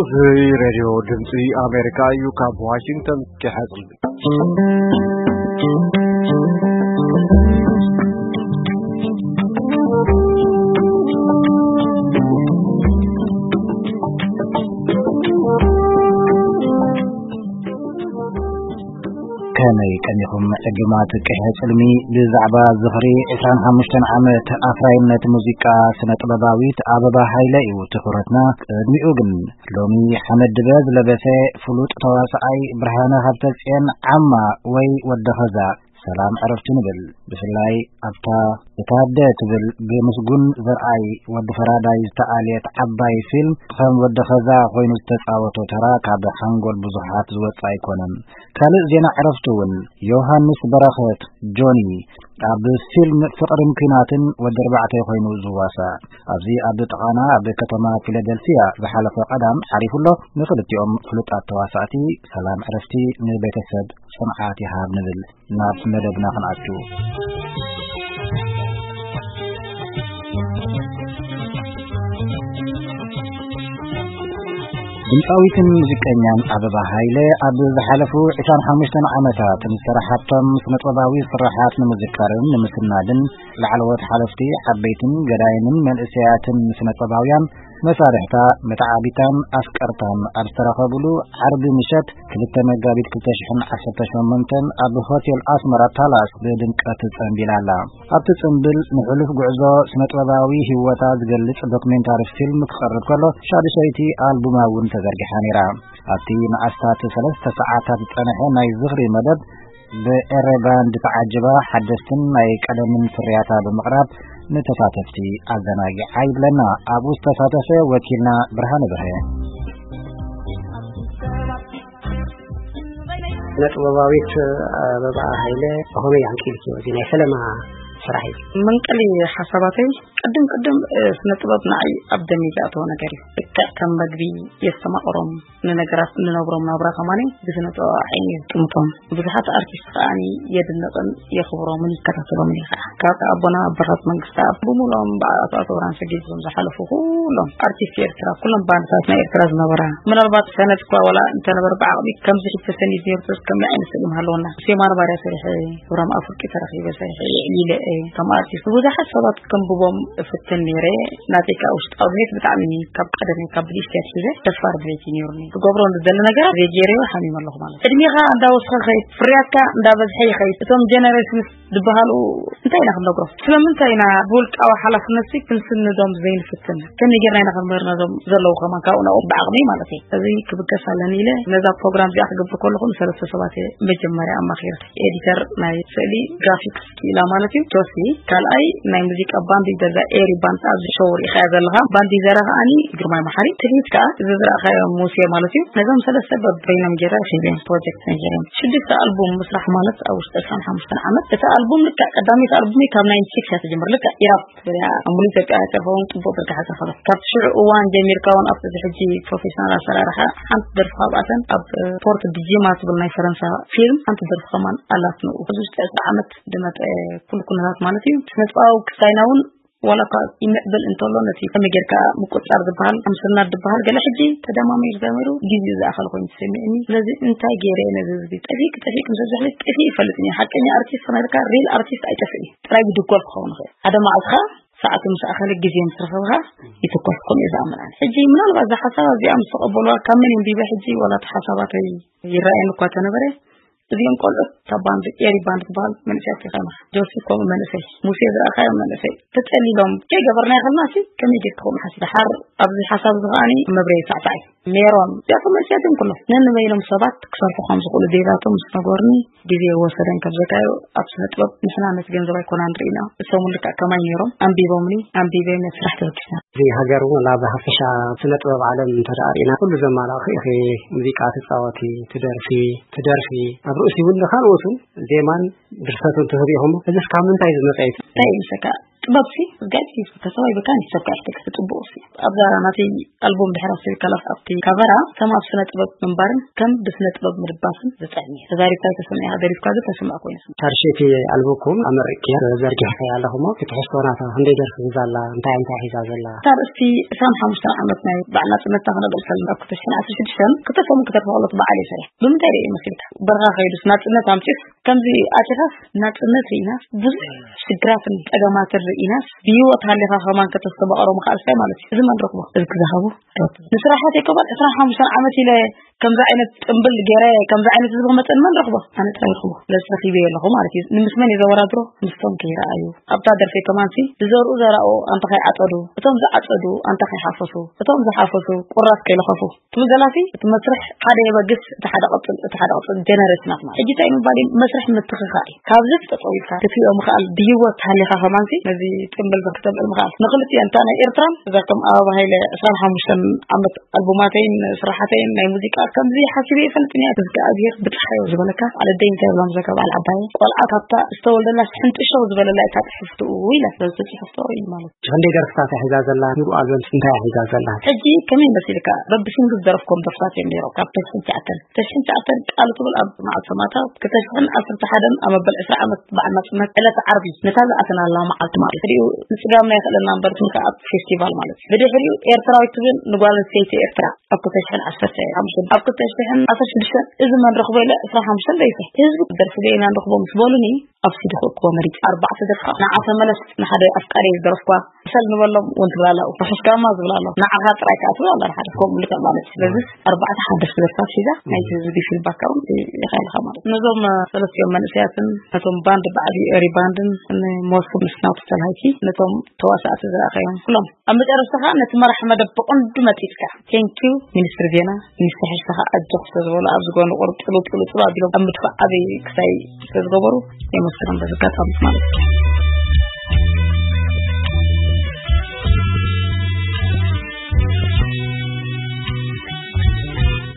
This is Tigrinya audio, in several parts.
እዚ ሬድዮ ድምፂ ኣሜሪካ እዩ። ካብ ዋሽንግተን ኪሓፅል ከመይ ቀኒኹም ዕዱማት ቅሐ ጽልሚ? ብዛዕባ ዝኽሪ ዕስራን ሓሙሽተን ዓመት ኣፍራይነት ሙዚቃ ስነ ጥበባዊት ኣበባ ሃይለ እዩ ትኹረትና። ቅድሚኡ ግን ሎሚ ሓመድ ድበ ዝለበሰ ፍሉጥ ተዋስኣይ ብርሃነ ሃብተጽዮን ዓማ ወይ ወዲ ኸዛ ሰላም ዕረፍቱ ንብል። ብፍላይ ኣብታ እታ ኣደ ትብል ብምስጉን ዘርኣይ ወዲ ፈራዳይ ዝተኣልየት ዓባይ ፊልም ከም ወዲ ኸዛ ኮይኑ ዝተጻወቶ ተራ ካብ ሓንጎል ብዙሓት ዝወጽእ ኣይኮነን። ካልእ ዜና ዕረፍቱ እውን ዮሃንስ በረኸት ጆኒ ኣብ ፊልም ፍቕርን ኲናትን ወዲ ኣርባዕተ ኮይኑ ዝዋሳእ ኣብዚ ኣብ ጥቓና ኣብ ከተማ ፊላደልፊያ ዝሓለፈ ቀዳም ዓሪፉ ኣሎ። ንኽልቲኦም ፍሉጣት ተዋሳእቲ ሰላም ዕረፍቲ ንቤተሰብ ጽንዓት ይሃብ ንብል። ናብ መደብና ክንኣቱ። ድምፃዊትን ሙዚቀኛን ኣበባ ሃይለ ኣብ ዝሓለፉ ዕስራን ሓሙሽተን ዓመታት ንዝሰራሓቶም ስነጥበባዊ ስራሓት ንምዝካርን ንምስናድን ላዕለዎት ሓለፍቲ ዓበይትን ገዳይምን መንእሰያትን ስነጥበባውያን መሳርሕታ መተዓቢታን ኣፍቀርታን ኣብ ዝተረኸብሉ ዓርቢ ምሸት ክልተ መጋቢት ክልተ ሽሕን ዓሰርተ ሸሞንተን ኣብ ሆቴል ኣስመራ ፓላስ ብድምቀት ጸንቢላ ኣላ። ኣብቲ ጽምብል ንሕሉፍ ጉዕዞ ስነጥበባዊ ህይወታ ዝገልጽ ዶክሜንታሪ ፊልም ክቐርብ ከሎ ሻድሸይቲ ኣልቡማ እውን ተዘርጊሓ ነይራ። ኣብቲ ንኣስታት ሰለስተ ሰዓታት ዝጸንሐ ናይ ዝኽሪ መደብ ብኤረ ባንድ ተዓጅባ ሓደስትን ናይ ቀደምን ፍርያታ ብምቕራብ ንተሳተፍቲ ኣዘናጊዓ ይብለና ኣብኡ ዝተሳተፈ ወኪልና ብርሃነ ብርሀ። ስነ ጥበባዊት ኣበባ ሃይለ ብኸመይ ኣንቂልክዮ እዚ ናይ ፈለማ ስራሕ እዩ? መንቀሊ ሓሳባተይ ቅድም ቅድም ስነ ጥበብ ንዓይ ኣብ ደመይ ዝኣተወ ነገር እዩ። ልክዕ ከም መግቢ የስተማቕሮም ንነገራት እንነብሮም ናብራ ከማኒ ብስነ ጥበብ ዓይኒ ዝጥምቶም ብዙሓት ኣርቲስት ከዓኒ የድንቕን የኽብሮምን ይከታተሎምን እየ ከዓ ካብ ኣቦና ኣባታት መንግስታ ብምሎም በዓል ኣቶ ኣተውራን ሰጊድ ዞም ዝሓለፉ ኩሎም ኣርቲስት ኤርትራ ኩሎም ባንድታት ናይ ኤርትራ ዝነበራ ምናልባት ሰነድ እኳ ዋላ እንተነበረ ብዓቕሚ ከምዚ ሕጂ ተሰኒድ ነርቶስ ከመይ ዓይነት ስእሊ ምሃለወና ሴማን ባርያ ሰሪሐ እብራም ኣፍርቂ ተረኺበ ሰሪሐ የዕሊለ እየ ከም ኣርቲስት ብዙሓት ሰባት ከንብቦም እፍትን ነይረ ናተይ ከዓ ውሽጣዊ ድሌት ብጣዕሚ ካብ ቀደመይ ካብ ብልሽቲ ኣትሒዘ ደፋር ድሌት እዩ ነይሩኒ ክገብሮ ንደሊ ነገራት ዘይገይረዮ ሓሚመ ኣለኹ ማለት ዕድሜኻ እንዳወስኸ ኸይድ ፍርያትካ እንዳበዝሐ ይኸይድ እቶም ጀነሬሽንስ ዝበሃሉ እንታይ ኢና ክንነግሮም ስለምንታይ ኢና ብውልቃዊ ሓላፍነት ክንስንዶም ዘይንፍትን ከመይ ጌርና ኢና ክንምህር ነዞም ዘለዉ ከማን ካብኡ ናብኡ ብዓቕሚ ማለት እዩ እዚ ክብገስ ኣለኒ ኢለ ነዛ ፕሮግራም እዚኣ ክገብር ከለኹ ንሰለስተ ሰባት እየ መጀመርያ ኣማኺረ ኤዲተር ናይ ስእሊ ግራፊክስ ክኢላ ማለት እዩ ጆሲ ካልኣይ ናይ ሙዚቃ ባንድ ይገዛ ኤሪ ባንድ ኣብዚ ሾው ሪኢኻያ ዘለኻ ባንድ ይዘራ ከዓኒ ግርማይ መሓሪ ትልሂት ከዓ እዚ ዝረእኻዮ ሙሴ ማለት እዩ ነዞም ሰለስተ በበይኖም ጌረ ሒዘ ፕሮጀክት ነይረም ሽዱሽተ ኣልቡም ምስራሕ ማለት ኣብ ውሽጢ ዕስራን ሓሙሽተን ዓመት እቲ ኣልቡም ልክዕ ቀዳመይቲ ኣልቡመይ ካብ ናይንቲ ሲክስ እያ ትጅምር ልክዕ ኢራብ ትብል እያ ኣብ ሙሉ ኢትዮጵያ ኣይተርፈውን ፅቡቅ ዝርግሐ ዝረኸበ ካብቲ ሽዑ እዋን ጀሚርካ እውን ኣብቲ እዚ ሕጂ ፕሮፌሽናል ኣሰራርሓ ሓንቲ ደርፊ ካብኣተን ኣብ ፖርት ዲጂማ ትብል ናይ ፈረንሳ ፊልም ሓንቲ ደርፊ ከማን ኣላት ንኡ እዚ ውሽጢ ዕስራ ዓመት ዝመፀ ኩሉ ኩነታት ማለት እዩ ስነጥበባዊ ክስታይና እውን ዋላ እኳ ይምዕብል እንተሎ ነቲ ከመይ ጌርካ ምቁፅፃር ዝበሃል ኣምስናድ ዝበሃል ገለ ሕጂ ተደማሚሩ ተደሚሩ ግዜኡ ዝኣኸለ ኮይኑ ተሰሚዕኒ ስለዚ እንታይ ገይረ እየ ነዚ ህዝቢ ጠፊእክ ጠፊእክ ምስ ኣብዛሕሊ ጠፊእ ይፈልጥ እየ ሓቀኛ ኣርቲስት ክነርካ ሪል ኣርቲስት ኣይጠፍእ እዩ ጥራይ ይድጎል ክኸውን ይኽእል ሓደ መዓልትኻ ሰዓቱ ምስ ኣኸለ ግዜ ምስ ረኸብኻ ይትኮስ ከምኡ እየ ዝኣምን ኣነ ሕጂ ምናልባት እዛ ሓሳብ እዚኣ ምስ ተቐበልዋ ካብ መን የንቢበ ሕጂ ዋላ እቲ ሓሳባተይ ይረኣየኒ እኳ ተነበረ እዚኦም ቆልዑት ካብ ባንድ ኤሪ ባንድ ዝበሃል መንእሰያት ርኢኻ ኢኻ ጆሲ ከምኡ መንእሰይ ሙሴ ዝረኣኻዮ መንእሰይ ተጠሊሎም ከይገበርናዮ ከለና ሲ ከመይ ጌርካ ከምኡ ሓሲብ ደሓር ኣብዚ ሓሳብ እዚ ከዓኒ መብረይ ሳዕሳዕ እዩ ሜሮን እዚኣቶም መንእሰያት እዮም ኩሎም ነንበይኖም ሰባት ክሰርሑ ከም ዝኽእሉ ዴዛቶም ምስ ነገሩኒ ግዜ ወሰደን ከም ዘካዮ ኣብ ስነ ጥበብ ንሕና ነቲ ገንዘብ ኣይኮና ንርኢና እሶም ልክዕ ከማይ ነይሮም ኣንቢቦምኒ ኣንቢበ ነቲ ስራሕ ተበጊስና እዚ ሃገር እውን ኣብ ሓፈሻ ስነ ጥበብ ዓለም እንተደኣ ርኢና ኩሉ ዘማላእኺ ኢኺ ሙዚቃ ትፃወቲ ትደርፊ ትደርፊ ኣብ ርእሲ እውን ንካልኦት እውን ዜማን ድርሰትን ትህብ ኢኹም እዚ እስካብ ምንታይ ዝመፀ እዩ እንታይ ይምሰካ ጥበብ ሲ እዝጋቢ ተሰዋይ በካ ንሰብ ካሕተክ ጽቡቕ ሲ ኣብዛ ናተይ ኣልቦም ድሕራ ስሪካ ላፍ ኣብቲ ካቨራ ከም ኣብ ስነ ጥበብ ምንባርን ከም ብስነ ጥበብ ምድባስን ዝጥዕም እዩ። ተዛሪብካ ተሰሚዕካ ደሪፍካ ግን ተሰምዕ ኮይኑ ስምዕ። ታርሸቲ ኣልቦኩም ኣመሪቅያ ዘርጊሕካ ኣለኹሞ ክትሕዝቶ ናታ ክንደይ ደርፊ ሒዛ ኣላ እንታይ እንታይ ሒዛ ዘላ? እታ ርእስቲ ዕስራን ሓሙሽተን ዓመት ናይ በዓል ናጽነትና ክነብዕል ከለና ኣብ ክልተ ሽሕን ዓሰርተ ሽዱሽተን ክልተ ሰሙን ክተርፍ ከሎ እቲ በዓል እዩ ሰሪሕ። ብምንታይ ርእዩ መሲልካ? በረኻ ከይዱስ ናጽነት ኣምጺኡስ ከምዚ ኣቲኻስ ናጽነት ርኢናስ ብዙሕ ሽግራትን ጸገማትን ርኢናስ ብህይወት ሃሊኻ ከማን ከተስተማቕሮ ምኽኣልስታይ ማለት እዩ። እዚ መን ረኽቦ? እዚ ክዝሃቦ ረኽቦ። ንስራሓት የከባል ዕስራን ሓሙሽተን ዓመት ኢለ ከምዚ ዓይነት ጽምብል ገይረ ከምዚ ዓይነት ህዝቢ ክመጸኒ መን ረኽቦ? ኣነ ጥራይ ረኽቦ። ስለዚ ረኺበዮ ኣለኹ ማለት እዩ። ንምስ መን እዩ ዘወዳድሮ? ምስቶም ከይረኣዩ። ኣብታ ደርፊ ከማንሲ ዝዘርኡ ዘራኡ ኣንታ ከይዓጸዱ፣ እቶም ዝዓጸዱ ኣንታ ከይሓፈሱ፣ እቶም ዝሓፈሱ ቁራስ ከይለኸፉ። ትብል ዘላሲ እቲ መስርሕ ሓደ የበግስ፣ እቲ ሓደ ቀጽል፣ እቲ ሓደ ቀጽል ጀነሬሽናት ማለት። ሕጂ እንታይ ምባል እዩ? መስርሕ ምትኽኻእ እዩ። ካብዚ ተጸዊትካ ክትሪኦ ምኽኣል ብህይወት ሃሊኻ ከማንሲ ነዚ ጽምብል ዘክተብዕል ምኽኣል። ንኽልቲኣን እታ ናይ ኤርትራን እዛ ከም ኣበባ ሃይለ ዕስራን ሓሙሽተን ዓመት ኣልቡማተይን ስራሓተይን ናይ ሙዚቃ ከምዚ ሓሲበ ይፈልጥን እያ። እግዚኣብሔር ብጽሓዮ ዝበለካ በዓል ኣደይ እንታይ ይብላ ምዘካ በዓል ዓባየ ቆልዓ ካብታ ዝተወልደላ ሕንጥሸው ዝበለላ እታ ትሕፍትኡ ኢላ ስለዚ ትጽሕፍቶ እዩ ማለት። ክንደይ ደርፍታት እያ ሒዛ ዘላ? ሙሉእ ኣልበም እንታይ እያ ሒዛ ዘላ? ሕጂ ከመይ መሲልካ? በብሲንግል ዝደረፍኮም ደርፍታት እዮም ነይሮም። ካብ ተሽሕን ትሽዓተን፣ ተሽሕን ትሽዓተን ቃል ትብል ኣብ መዓልቲ ሰማእታት፣ ክልተ ሽሕን ዓሰርተ ሓደን ኣብ መበል ዕስራ ዓመት በዓል ናጽነት ዕለተ ዓርቢ ነታ ዝኣተናላ መዓልቲ ማለት እዩ። ድሕሪኡ ንጽጋምና ይኽእለና እምበር ትምካ ኣብ ፌስቲቫል ማለት እዩ። ብድሕሪኡ ኤርትራዊት ትብል ንጓል ኣንስተይቲ ኤርትራ ኣብ ክልተ ሽሕን ዓሰርተ ሓሙሽተን፣ ኣብ ክልተ ሽሕን ዓሰርተ ሽዱሽተን እዚ መን ረኽቦ ኢለ ዕስራን ሓሙሽተን ደይፈ ህዝቢ ደርፊ ደይና ንረኽቦ ምስ በሉኒ ኣብ ሲዲ ክእክቦ መሪጽ ኣርባዕተ ደርፋ ንዓ ተመለስ ንሓደ ኣፍቃሪ ዝደረፍኳ ሰል ንበሎም እውን ትብላላ ርሑስ ጋማ ዝብላሎ ንዓኻ ጥራይ ከዓ ትብላላ ሓደ ከምኡ ልክዕ ማለት እዩ። ስለዚ ኣርባዕተ ሓደስቲ ደርፋት ሒዛ ናይቲ ህዝቢ ፊድባክ እውን ይኽእልካ ማለት እዩ። ነዞም ሰለስቲኦም መንእሰያትን ነቶም ባንድ ብዓብዩ ኤሪ ባንድን ንሞስም ምስናውቲ ተልሃይኪ ነቶም ተዋሳእቲ ዝረኣኸዮም ኩሎም ኣብ መጨረሽታ ከዓ ነቲ መራሕ መደብ ብቐንዱ መጢጥካ ቴንኪዩ ሚኒስትሪ ዜና ሚኒስትሪ ሕርሻ ከዓ ኣጆኽ ስለዝበሉ ኣብዚ ጎኒ ቁርብ ጥሉ ጥሉ ጥሉ ኣቢሎም ኣብ ምድፋእ ዓብይ ክሳይ ስለዝገበሩ የመስግኖም በዚ ኣጋጣሚ ማለት እዩ።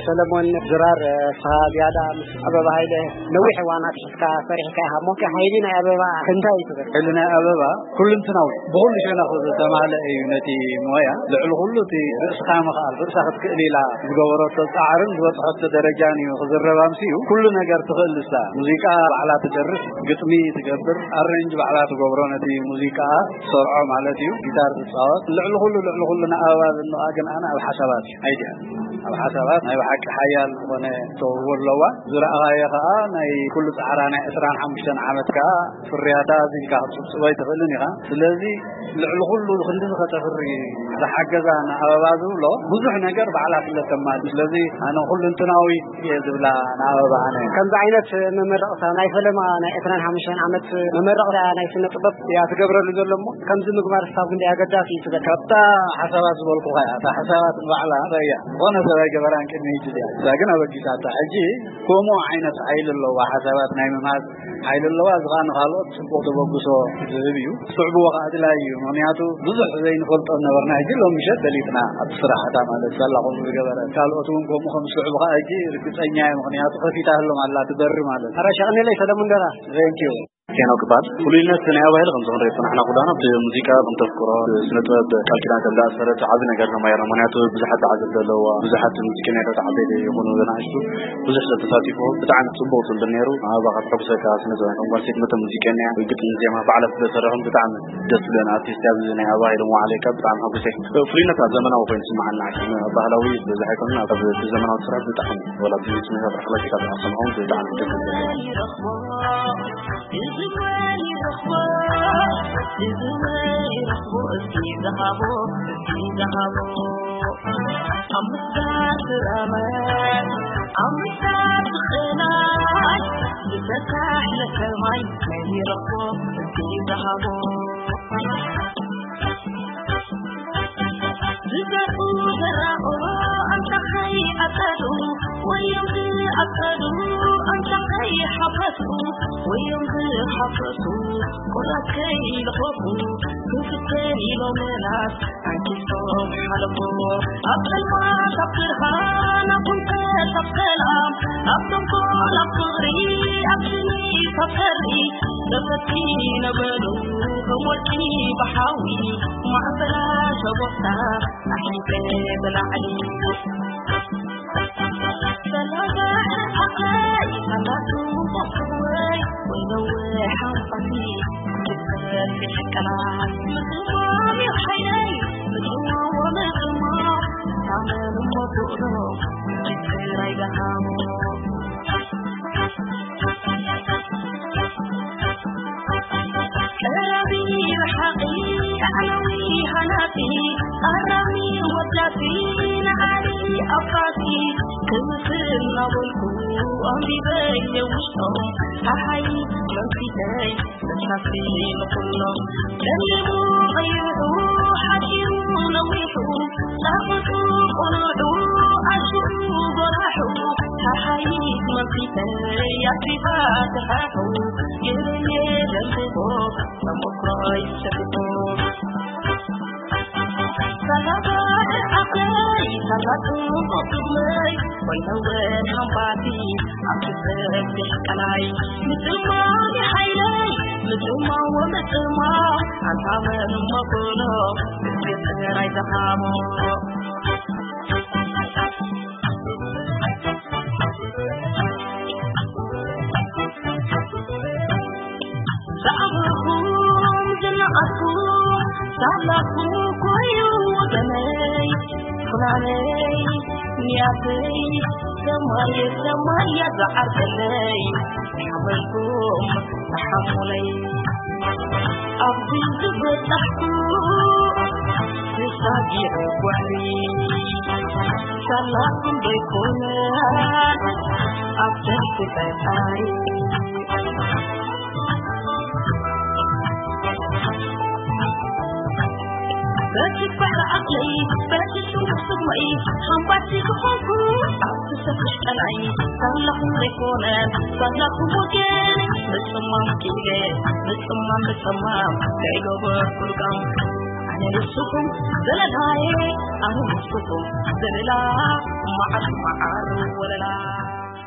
ሰለሞን ዝራር፣ ስኻ ዝያዳ ምስ ኣበባ ሃይለ ነዊሕ እዋን ኣትሒዝካ ሰሪሕካ ኢኻ እሞ፣ እቲ ሓይሊ ናይ ኣበባ እንታይ እዩ ትብል? ሓይሊ ናይ ኣበባ ኩልንትናዊ፣ ብኹሉ ሸነኹ ዝተማልአ እዩ። ነቲ ሞያ ልዕሊ ኩሉ እቲ ርእስኻ ምኽኣል፣ ርእሳ ክትክእል ኢላ ዝገበረቶ ጻዕርን ዝበጽሐቶ ደረጃን እዩ ክዝረብ ኣምስዩ። ኩሉ ነገር ትኽእል ንሳ። ሙዚቃ ባዕላ ትደርስ፣ ግጥሚ ትገብር፣ ኣሬንጅ ባዕላ ትገብሮ፣ ነቲ ሙዚቃ ትሰርዖ ማለት እዩ። ጊታር ትጻወት። ልዕሊ ኩሉ፣ ልዕሊ ኩሉ ንኣበባ ዘንቓ ግን ኣነ ኣብ ሓሳባት እዩ። ኣይድያ ኣብ ሓሳባት ናይ ብሓቂ ሓያል ዝኾነ ተውህቦ ኣለዋ። ዝረኣኻዮ ኸኣ ናይ ኩሉ ጻዕራ ናይ ዕስራን ሓሙሽተን ዓመት ከኣ ፍርያታ እዚ ኢልካ ክትጽብጽቦ ኣይትኽእልን ኢኻ። ስለዚ ልዕሊ ኩሉ ክንድዚ ከተፍሪ ዝሓገዛ ንኣበባ ዝብሎ ብዙሕ ነገር ባዕላ ስለ ተማሊ። ስለዚ ኣነ ኩልንትናዊ እየ ዝብላ ንኣበባ ኣነ። ከምዚ ዓይነት መመረቕታ ናይ ፈለማ ናይ ዕስራን ሓሙሽተን ዓመት መመረቕታ ናይ ስነ ጥበብ እያ ትገብረሉ ዘሎ እሞ ከምዚ ምግባር ክሳብ ክንደይ ኣገዳሲ እዩ ትብል? ካብታ ሓሳባት ዝበልኩኻ እያ። እታ ሓሳባት ንባዕላ ረያ ዝኾነ ሰብ ኣይገበራን ቅድሚ ሕጂ እዚኣ። እዛ ግን ኣበጊሳታ። ሕጂ ከምኡ ዓይነት ሓይሊ ኣለዋ፣ ሓሳባት ናይ ምምሃዝ ሓይሊ ኣለዋ። እዚ ኸኣ ንኻልኦት ጽቡቕ ተበግሶ ዝህብ እዩ። ስዕብዎ ኸኣ ኣድላዪ እዩ። ምኽንያቱ ብዙሕ ዘይንፈልጦ ዝነበርና ሕጂ ሎሚ ምሸት ፈሊጥና ኣብቲ ስራሕታ ማለት ሳላ ከምኡ ዝገበረ። ካልኦት እውን ከምኡ ከም ዝስዕቡ ኸኣ ሕጂ ርግጸኛ እየ። ምኽንያቱ ከፊታ ህሎም ኣላ ትበሪ ማለት። ኣረ ሸቕኒለይ ሰለሙን ደራ። Thank you። ሄኖክ ይበሃል። ፍሉይነት ናይ ኣባይል ከም ዝኾነ ሬቶ ንሕና ኩላና ብሙዚቃ ከም ተፍቅሮ፣ ስነ ጥበብ ቃል ኪዳን ከም ዝኣሰረት ዓቢ ነገር ተማሂርና። ምኽንያቱ ብዙሓት ተዓዘብቲ ኣለዎ፣ ብዙሓት ሙዚቀኛታት ዓበይቲ ይኹኑ ንኣሽቱ ብዙሕ ሰብ ተሳቲፉ። ብጣዕሚ ጽቡቕ ጽምብል ነይሩ። ኣበባ ካብ ተሐጉሰካ ስነ ጥበብ ከም ጓል ሴት መጠን ሙዚቀኛ፣ ግጥሚ ዜማ ባዕላ ስለ ዝሰርሖም ብጣዕሚ ደስ ዝብለን ኣርቲስት ኣብዚ ናይ ኣባይል መዋዕለይ ካብ ብጣዕሚ ሐጉሰ። ፍሉይነት ኣብ ዘመናዊ ኮይኑ ስምዓና፣ ባህላዊ በዚ ኣይኮነን፣ ኣብ ዘመናዊ ስራሕ ብጣዕሚ ወላ ብዙሕ ስሜታት ረኽበኪ ካብ ኣሰምዖም ብጣዕሚ ደስ ዝብል። ዝዘርኡ ዘራኡ ኣንታ ከይዓጸዱ፣ ወዮም ዝዓጸዱ ኣንታ ከይሓፈሱ፣ ወዮም ዝሓፈሱ ቁራስ ከይለኸፉ፣ ክንክተል ኢሎም ምላስ ኣንኪሶም ሓለፉ። ኣብ ጸልማት ኣብ ብርሃን፣ ኣብ ውንቀት ኣብ ሰላም፣ ኣብ ተንኮል ኣብ ፍቕሪ ኣብ ሽኒ ካብ ሰሪ ተፈቲነ በሉ ከም ወርቂ ብሓዊ ማዕበላ ሸቦኽታ ኣሕሊፈ ብላዕሊ ሰላም ዓቐይ ሳላቱ ቆፍወይ ወይ ነዊሕ ሓንፋቲ ክትሰፊሕ ቀላት ምጽማም እዩ ሓይለይ ምጽማዎ ምጽማው ታመኑ ሞትኡሎ ጅግር ኣይደሃሞ ቀራቢ ረሓቒ ኣዕናዊ ሃናጺ ኣራሚ ወዳፊ ንዓሊ ኣባቲ ክምስል ናበልኩ ኣንቢበይ የውሽጦም ሓሓይ መምሲተይ መሻፊ ንኹሎም ጸሊሙ ቀይሑ ሓጺሩ ነዊሑ ጣፍጡ ቁኑዑ ኣሽሩ ጎራሑ ሓሓይ መምሲተይ ኣሲፋ ተሓሑ ገለየ ደምቦ ተሞክሮይ ሰፊሑ ሰላሳ ዓቐይ ሰላሳ ቅድመይ ወይነወ ሓምባቲ ኣብ ትሰብሕ ቀላይ ምጽማም ሓይለይ ምጽማም ወምጽማም ኣንታ መን መበሎ ምስጢር ጥራይ ዝሃቦ ዝዓበኹም ዝነኣድኩ ሳላኹም ኮይኑ ወገነይ ፍናነይ ንያተይ ሰማየ ሰማያ ዝዓርበለይ ሓበልኩም ተሓሙለይ ኣብዚ ዝበጻሕኩ ተሳጊዐ ጓሕሪ ሳላኹም ዘይኮነ ኣብ ደርፊ ፈጣሪ በቲ ባሕሪ ዓቕለይ በቲ ስሙር ስምዒ ሓምባቲ ዝኾንኩ ኣብቲ ሰፊሕ ቀላይ ሳላኹም ዘይኮነ ሳላኹም ወገን ምጽማም ክኢለ ምጽማም ምጽማም ከይገበርኩ ልቃም ኣነ ንስኹም ዘለላየ ኣነ ንስኹም ዘለላ መዓር መዓር ወለላ